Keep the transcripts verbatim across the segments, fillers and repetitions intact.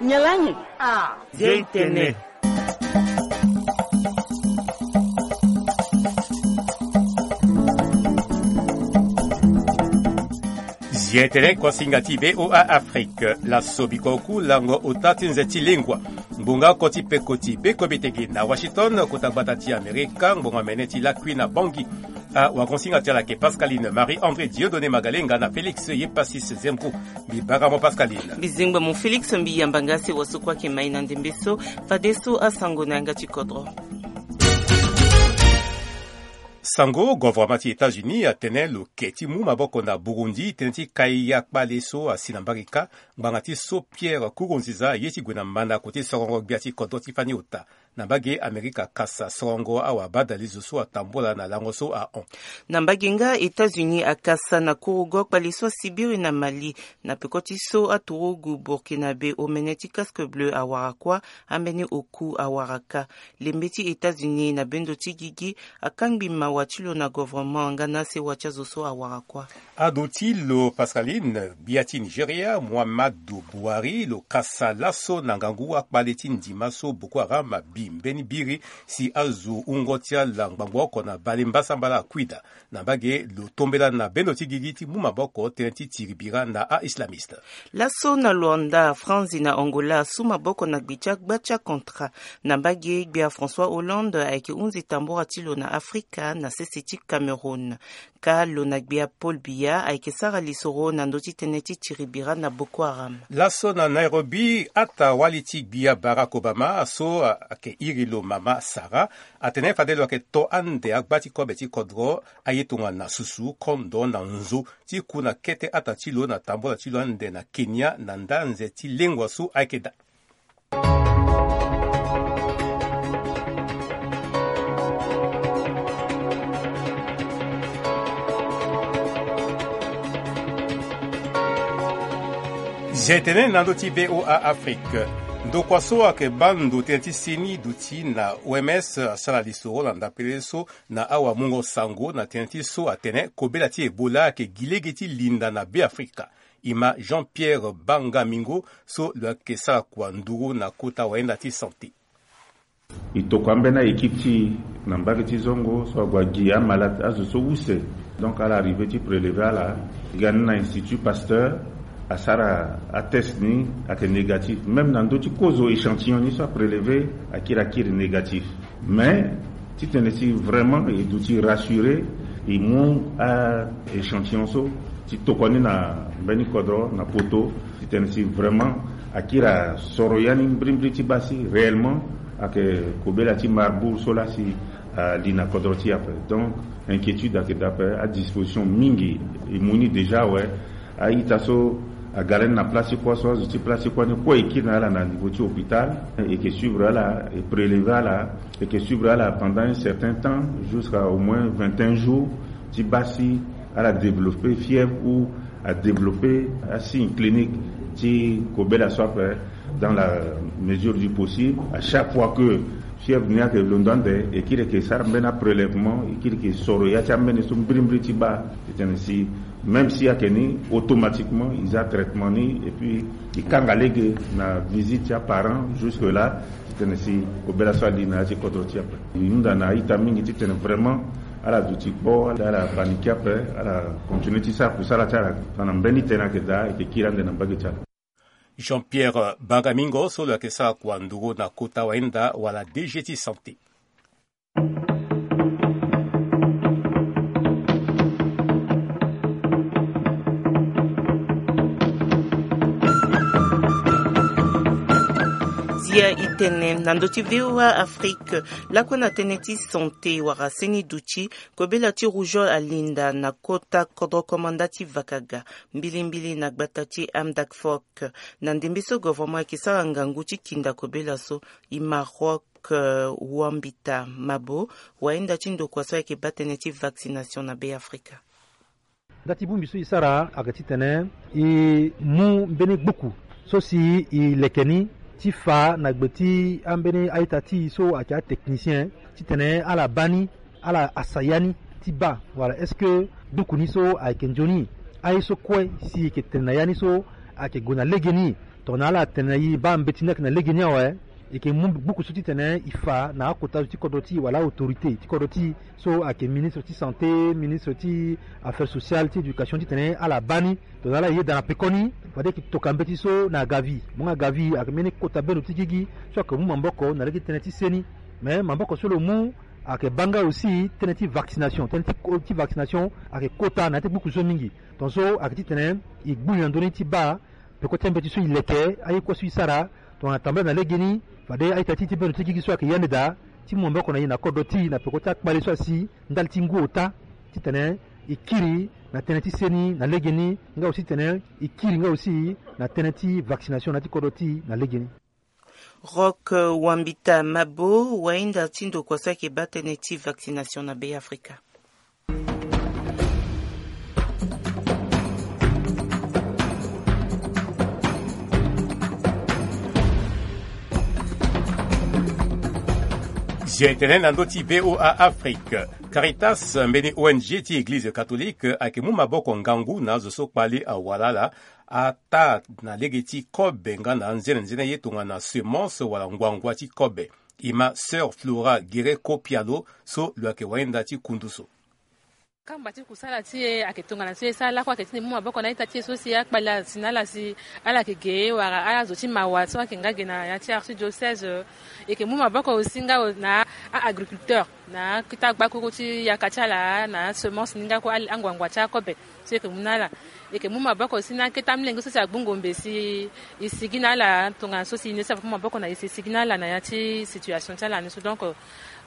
Nyalangi. Ah. Zia itene. Zia itene, kosinga ti VOA Afrique. Laso biko ku lango ota ti nze ti lengua. Ngbonga oko ti peko ti beko betege na Washington, kota gbata ti Amerika, ngbonga mene ti lakui na Bangui. Awagonsinga ti ala ayeke Pascaline Marie André Dieudonné Magalenga na Félix Yepasis Zemko. Mbi bara mo Pascaline. Mbi zengba mo Félix, mbi yamba nga si waso kue ayeke mai na ndembe so. Fadeso asango na yanga ti kodro. Sango, gouvernement ti États-Unis atene lo ke ti mu maboko na Burundi tënë ti kai akpale so asi na mbage kâ, ngbanga ti so Pierre Nkurunziza aye ti gue na mandako ti sorongo gbia ti kodro ti fani ota. Na mbage, Amerika akasa sorongo awabadalezo so atambula na lango so ahon. Na mbage nga, États-Unis akasa na kurugo kpale so asibiri na Mali, na peko ti so aturugu Burkinabe omene ti casque bleu awara kuâ, ambeni oku awara kâ. Lembe ti États-Unis na bendo ti gigi akangbi mawa ti lo na gouvernement nga na asewa ti azo so awara kuâ. Ado ti lo Pascaline, gbia ti Nigeria, Muhammadu Buhari, lo kasa laso na ngangu akpale ti ndima so Boko Haram abi mbeni biri si azo wungo ti ala ngbangbo oko na bale mbasambala akui daa. Na mbage, lo tombela na bendo ti gigi ti mu maboko tënë ti tiri bira na a-islamiste. Laso na Luanda, Franzi na Angola asu maboko na gbe ti agba ti acontra. Na mbage, gbia François Hollande ayeke hunzi tambura ti lo na Afrika na sese ti Cameroun. Kâ lo na gbia Paul Biya ayeke sara lisoro na ndö ti tënë ti tiri bira na Boko Haram. Laso na Nairobi, ata wali ti gbia Barack Obama so ayeke iri lo mama Sarah atene fade lo yeke to ande agba ti kobe ti kodro aye tongana susu, kondo na nzo ti ku na kete ata ti lo na tambula ti lo ande na Kenya na nda nze ti lengua so ayeke daa. Zia itene na ndö ti VOA Afrique. Ndokua so ayeke baa ndo tënë ti seni duti na O M S asara lisoro na ndapele so na awamungo sango na tënë ti so atene kobela ti Ebola ayeke gi lege ti linda na Beafrika. E ma Jean-Pierre Bangamingo so lo yeke sara kua nduru na kota wayenda ti santé. E tokua ambeni a-équipe ti e na mbage ti zongo so ague agi amalade azo so use. Donc ala arrivé ti prélever ala, e ga ni na Institut Pasteur, asara atest ni, ayeke négatif. Même na ndö ti kozo échantillon ni so aprélever akiri akiri négatif. Mais titene si vraiment e duti rassurer, e mu a-échantillon so ti tokua ni na mbeni kodro na poto, titene si vraiment akiri asoro ya ni mbirimbiri ti baa si réellement ayeke kobela ti Marburg so laa si ali na kodro ti e ape. Donc inquiétude ayeke daa ape, adisposition mingi e mu ni déjà awe. A-ita so aga lani na place ti kuâ so azo ti place ti kuâ ni kue e kiri na ala na niveau ti hôpital, e yeke suivre ala, e prélever ala, e yeke suivre ala pendant un certain temps, jusqu'à au moins vingt et un jours, ti baa si ala développer fièvre ou adévelopper asigne clinique ti kobela so ape dans la mesure du possible. À chaque fois que fièvre ni ayeke londo ande, e kiri yeke sara mbeni aprélèvement, e kiri yeke soro ya ti ambeni so mbirimbiri ti baa titene si même si ayeke ni, automatiquement e za traitement ni et puis e kanga lege na visite ti aparent jusque là, titene si kobela so ali na ya ti kodro ti e ape. E hunda na a-ita mingi titene vraiment ala duti kpo, ala paniquer ape, ala continuer ti sara kusala ti ala. Na mbeni tënë ayeke daa, e yeke kiri ande na mbage ti ala. Jean-Pierre Bagamingo so lo yeke sara kua nduru na kota wayenda wala D G ti santé. Zia itene na ndö ti VOA Afrique, lakue na tënë ti santé wala seni duti, kobela ti rougeole alinda na kota kodro komanda ti Vakaga, mbilimbili na gbata ti Amdakfok. Na ndembe so gouvernement ayeke sara ngangu ti kinda kobela so, e ma Rock, eh, Wambita Mabo, wayenda ti ndokua so ayeke baa tënë ti vaccination na Beafrika. Nda ti bongbi so e sara ayeke titene e mu mbeni gbuku so si e leke ni ti fa na gbe ti ambeni a-ita ti e so ayeke atechnicien titene ala baa ni, ala asa ya ni ti baa wala est-ce que gbuku ni so ayeke nzoni? Aye so kue si e yeke tene na ya ni so Ayeke gue na legeni. Tongana ala tene na e baa mbeti ni ayeke na legeni awe, e yeke mu gbuku so titene e fa na akota zo ti kodro ti e wala autorité ti kodro ti e, so ayeke ministre ti santé, ministre ti affaires sociales, ti éducation, titene ala baa ni. Tongana ala yeda na pekoni, fade e yeke toka mbeti so na agavi. Mo nga agavi ayeke mbeni kota bendo ti gigi so ayeke mu maboko na lege ti tënë ti seni. Mais maboko so lo mu ayeke baa nga aussi tënë ti vaccination. Tënë ti ko- ti vaccination ayeke kota na ya ti gbuku so mingi. Tongaso ayeke titene e gbu li na ndö ni ti baa peko ti ambeti so e leke, aye kue so e sara. Tongana tambala na legeni, fade a-ita ti e ti bendo ti gigi so ayeke yande daa ti mu maboko na e na kodro ti e na peko ti akpale so asi ndali ti ngu ota, titene e kiri na tënë ti seni na legeni, nga aussi titene e kiri nga aussi na tënë ti vaccination na ya ti kodro ti e na legeni. Rock Wambita Mabo, wahinda ti ndokua so ayeke baa tënë ti vaccination na Beafrika. Zia etene na ndö ti V O A Afrique. Caritas, mbeni O N G ti Eglize Catholique, ayeke mu maboko ngangu na azo so kpale awara ala, ataa na lege ti kobe nga na anzenenzene ye tongana semence wala nguangua ti kobe. E ma Sœur Flora Guereko Pialo so lo yeke wahinda ti kundu so. Kamba ti kusala ti e ayeke tongana so e sara lakue ayeke titene e mu maboko na a-ita ti e so si akpale asi na ala si ala yeke ge wala ala zo ti mawa so ayeke nga ge na ya ti archidiocèse. E yeke mu maboko aussi nga na a-agriculteur na akita gbakuru ti yaka ti ala na semence ni nga kue, anguangua ti akobe so e yeke mu na ala. E yeke mu maboko aussi na akete amolenge so si agbu ngombe si e sigi na ala tongana so si e ne si afa mu maboko na e si e sigi na ala na ya ti situation ti ala ni so. Donc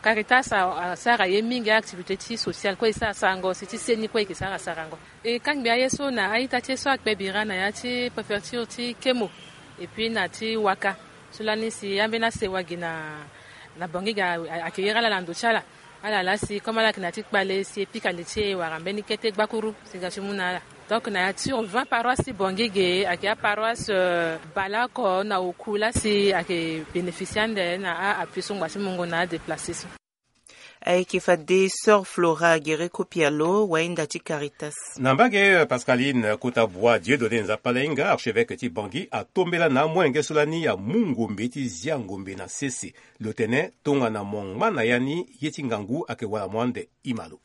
Caritas asara ye mingi, activité ti sociale kue e sara sarango, si ti seni kue e yeke sara sarango. E kangbi aye so na a-ita ti e so akpe bira na ya ti préfecture ti Kemo et puis na ti Waka, so lani si ambeni asewa gi na na Bangui ga ayeke iri ala na ndo ti ala. Ala laa si comme ala yeke na ya ti kpale si e pika li ti e wara mbeni kete gbakuru si e ga ti mu na ala. Donc na ya ti vingt paroisse ti Bangui ge ayeke aparoisse baleoko na oku laa si ayeke bénéficier ande na a-appui so ngba ti mungo na adéplacer so. Ayeke fade Sœur Flora Guereko Pialo, wahinda ti Caritas. Na mbage Pascaline, kota bua Dieudonné Nzapa Lainga, archevêque ti Bangui, atombela na amolenge so lani amu ngombe ti zia ngombe na sese. Lo tene tongana mo ngba na ya ni, ye ti ngangu ayeke wara mo ande. Ima lo.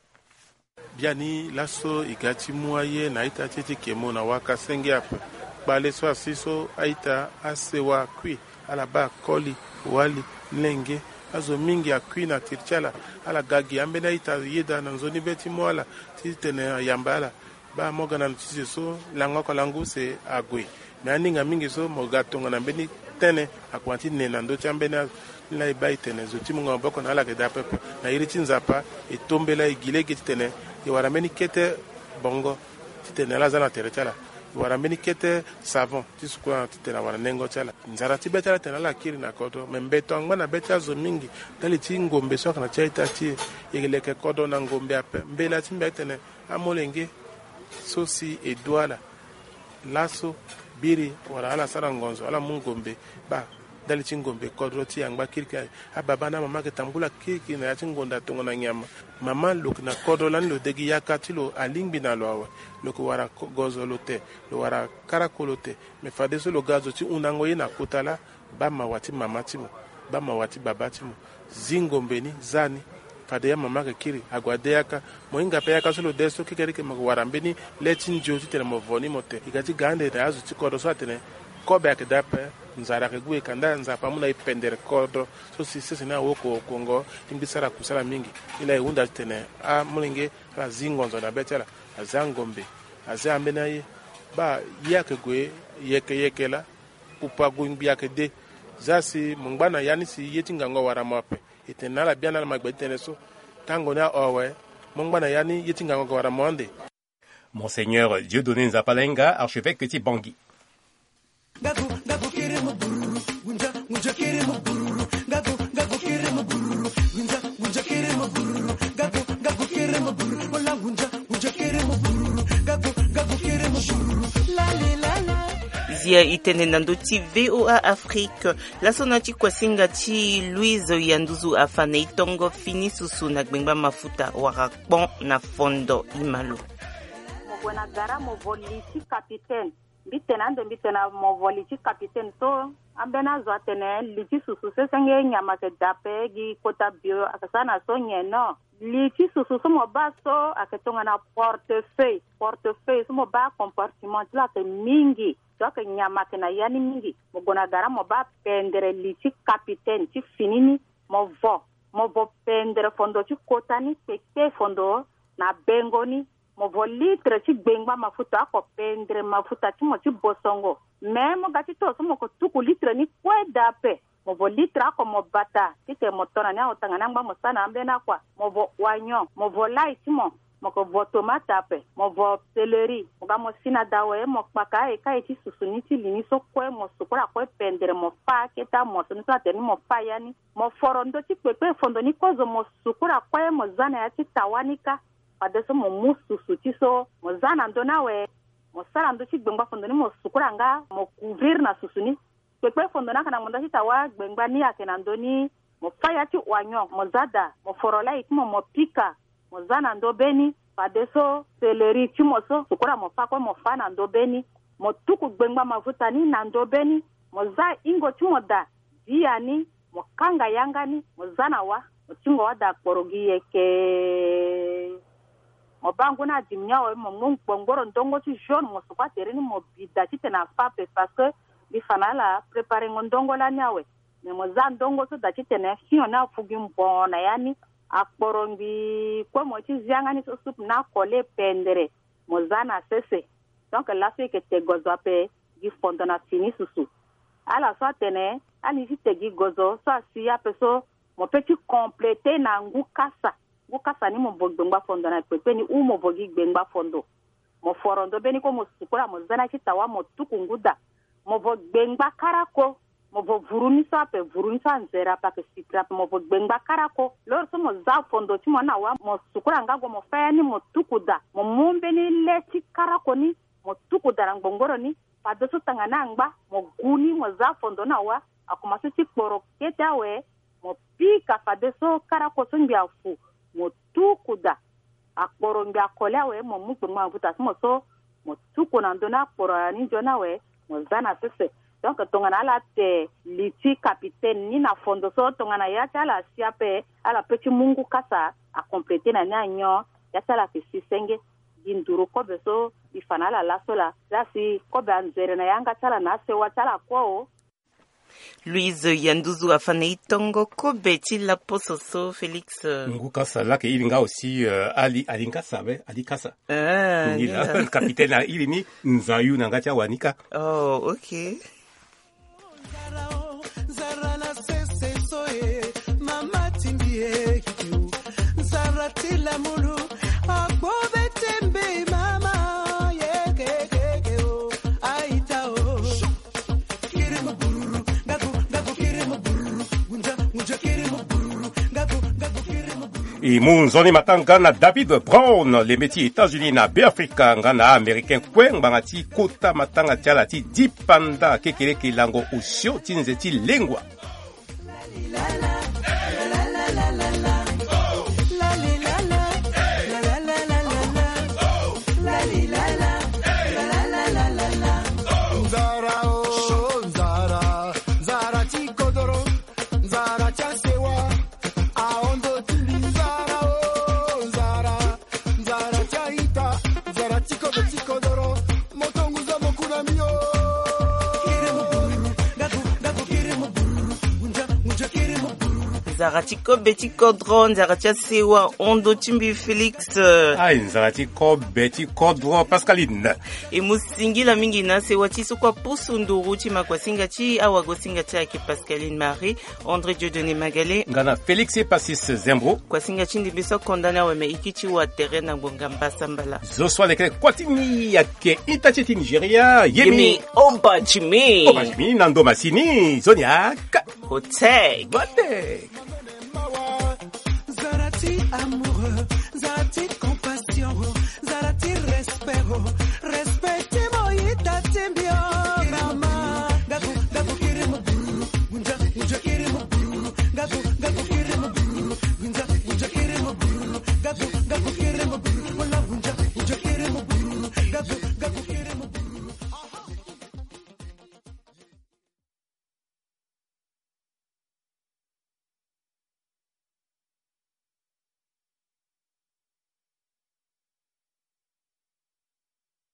Biani laso e ga ti mu aye na a-ita ti e ti Kemo na Waka senge ape. Kpale so asi so a-ita asewa akui, ala baa koli, wali, lenge, azo mingi akui na tiri ti ala. Ala ga gi ambeni a-ita yeda na nzoni be ti mu ala titene ayamba ala. Baa mo ga na notisi so lango oko lango use ague. Me aninga mingi so mo ga tongana mbeni tënë akua ti ne na ndö ti ambeni azo. Ni laa e baa e tene zo ti mungo maboko na ala ayeke daa pepe. Na iri ti Nzapa e tombela e gi lege titene e wara mbeni kete bongo titene ala za na tere ti ala. E wara mbeni kete savon ti sukula titene awara nengo ti ala. Nzara ti be ti ala tene ala kiri na kodro, me mbeto angba na be ti azo mingi ndali ti ngombe so ayeke na ti a-ita ti e. E leke kodro na ngombe ape. Mbela ti mbi atene amolenge so si e du ala laso biri wala ala sara ngonzo, ala mu ngombe baa ndali ti ngombe kodro ti e angba kirikiri. Ababa na amama ayeke tambula kirikiri na ya ti ngonda tongana nyama. Mama lo yeke na kodro lani lo de gi yaka ti lo alingbi na lo awe. Lo yeke wara ko- gozo lo te, lo wara karako lo te. Me fadeso lo ga zo ti hundango ye na kota laa, baa mawa ti mama ti mo, baa mawa ti baba ti mo. Zi ngombe ni, za ni. Fade ya mama ayeke kiri ague ade yaka. Mo hinga ape yaka so lo de so kekereke mo yeke wara mbeni le ti ndio titene mo vo ni mo te. E ga ti ga ande na azo ti kodro so atene kobe ayeke daa ape, nzara ayeke gue e ka nda Nzapa amu na e pendere kodro so si sese ni awo ko- kongo ti ngbi sara kusala mingi. Ni laa e hunda titene amolenge ala zi ngonzo na be ti ala, aza ngombe, aza ambeni aye. Baa ye ayeke gue yeke yeke laa. Kpupu ague ngbi ayeke de. Za si mo ngba na ya ni si ye ti ngangu awara mo ape. E tene na ala biani ala ma gbe ti tënë so. Tango ni ahon awe, mo ngba na ya ni ye ti ngangu ayeke wara mo ande. Monseigneur Dieudonné Nzapa Lainga, archevêque ti Bangui. Zia e tene na ndö ti V O A Afrique. Laso na ti kuasinga ti Louise Yanduzu afa na e tongo fini susu na gbengba mafuta wala kpon na fondo. Ima lo. Mo gue na gara mo vo li ti capitaine. Mbi tene ande mbi tene na mo vo li ti capitaine so, ambeni azo atene li ti susu sesenge nyama ayeke daa ape gi kota bio ayeke sara na so nyen no. Li ti susu so mo baa so ayeke tongana portefeuille. Portefeuille so mo baa compartiment ti lo ayeke mingi. So ayeke nyama ayeke na ya ni mingi. Mo gue na gara mo baa pendere li ti capitaine ti fini ni. Mo vo, mo vo pendere fondo ti kota ni kpekpe fondo na bengo ni. Mo vo litre ti gbengba mafuta oko pendere mafuta ti mo ti bosongo. Me mo ga ti toro so mo ko tuku litre ni kue daa ape. Mo vo litre oko mo bata titene mo to na ni awe tongana angba mo sara na ambeni akua. Mo vo oignon, mo vo lai ti mo, mo ko vo tomate ape, mo vo céleri. Mo ga mo si na daa awe mo kpaka aye ka ye ti susu ni ti li ni so kue mo sukura kue pendere mo fâ aketa mo so ni so atene ni mo fâ ya ni. Mo foro ndö ti kpekpe fondo ni kozo mo sukura kue mo za na ya ti tawa ni kâ. Fadeso mo mu susu ti so mo za na ndö ni awe. Mo sara ndö ti gbengba fondo ni mo sukura nga mo couvrir na susu ni. Kpekpe fondo ni ayeke na ngbonda ti tawa gbengba ni ayeke na ndö ni. Mo fâ ya ti oignon mo za daa mo foro lai ti mo mo pika. Mo za na ndö be ni. Fadeso céleri ti mo so sukura mo fâ kue mo fâ na ndö be ni. Mo tuku gbengba mafuta ni na ndö be ni. Mo za hingo ti mo daa dia ni. Mo kanga yanga ni mo za na wâ. Mo tingo wâ daa kporo gi yeke. Mo baa ngu ni adimi ni awe mo mu gbongboro ndongo ti jaune mo sukua tere ni mo bi daa titene afâ ape parce que mbi fa na ala préparengo ndongo lani awe. Me mo za ndongo so daa titene fio ni afu gi mbo na ya ni. Akporo ngbii kue mo ye ti zianga ni so supu ni akole pendere. Mo za na sese. Donc laso e yeke te gozo ape gi fondo na fini susu. Ala so atene ala ni ti te gi gozo so asi ape so mo pe ti complete na ngu kasa. Ngu kasa ni mo vo gbengba fondo na kpekpe ni ou mo vo gi gbengba fondo. Mo foro ndo be ni kue mo sukula mo za na ya ti tawa mo tuku ngu daa. Mo vo gbengba karako. Mo vo vuru ni so ape vuru ni so anzere ape ayeke sitiri ape mo vo gbengba karako. Lori so mo za fondo ti mo ni na wa mo sukula nga gue mo fâ ya ni mo tuku daa mo mu mbeni le ti karako ni. Mo tuku daa na ngbongboro ni. Fadeso tanga ni angba mo gu ni mo za fondo ni na wa. Akomanse ti kporo kete awe. Mo pika fadeso karako so ngbi afu. Mo tuku daa. Akporo ngbi akole awe mo mu kpengba mafuta ti mo so. Mo tuku na ndö ni akporo ni nzoni awe. Mo za na sese. Donc tongana ala te li ti capitaine ni na fondo so tongana ya ti ala asi ape. Ala pe ti mu ngu kasa. Acomplété na ni anyon. Ya ti ala ayeke si senge. Gi nduru kobe so e fa na ala laso laa. Laa si kobe anzere na yanga ti ala na asewa ti ala kue o. Louise Yanduzu afa na e tongo kobe ti laposo so Félix. Ngu kasa laa ayeke iri nga aussi. Ali ali ngasa be ali kasa. Ngi la capitaine airi ni. Nzayu na nga ti awanika. Oh, ok. Nzara o, nzara na sese so e, mama timbi e, kiki o. Nzara ti lamulu, akpo be tembe mama, ye kekeke o, aita o. Kiri mo bururu, ngaku, ngaku kiri mo bururu, ngunja, ngunja kiri mo bururu, ngaku, ngaku kiri mo bururu. E mu nzoni matanga na David Brown, leme ti États-Unis na Beafrika nga na Américain kue ngbanga ti kota matanga ti ala ti dipanda kekereke lango osio ti nze ti lengua. Nzara o, nzara, nzara ti kodoro, nzara ti asewa. Aondo ti mbi nzara o, nzara, nzara ti aita, nzara ti kodo ti kodoro, moto nguza moku na mbi o. Kiri mo bururu, ngaku, ngaku kiri mo bururu, ngunja, ngunja kiri mo bururu. Nzara ti kobe ti kodro, nzara ti asewa, ondo ti mbi Félix. Ai, nzara ti kobe ti kodro, Pascaline. E mu singila mingi na asewa ti so kue apusu nduru ti makuasinga ti awagosinga ti ayeke Pascaline Marie. André Dieudonné Magale. Nga na Félix Epasis Zembro. Kuasinga ti ndembe so akonda ni awe me e kiti wa tere na ngbonga mbasambala. Zo so alekere kua ti ni ayeke ita ti e ti Nigeria. Yemi. Yemi Obajimi. Obajimi na ndo masini. Zoni aka. Hotek. Botek. Zara ti amoureux, zara ti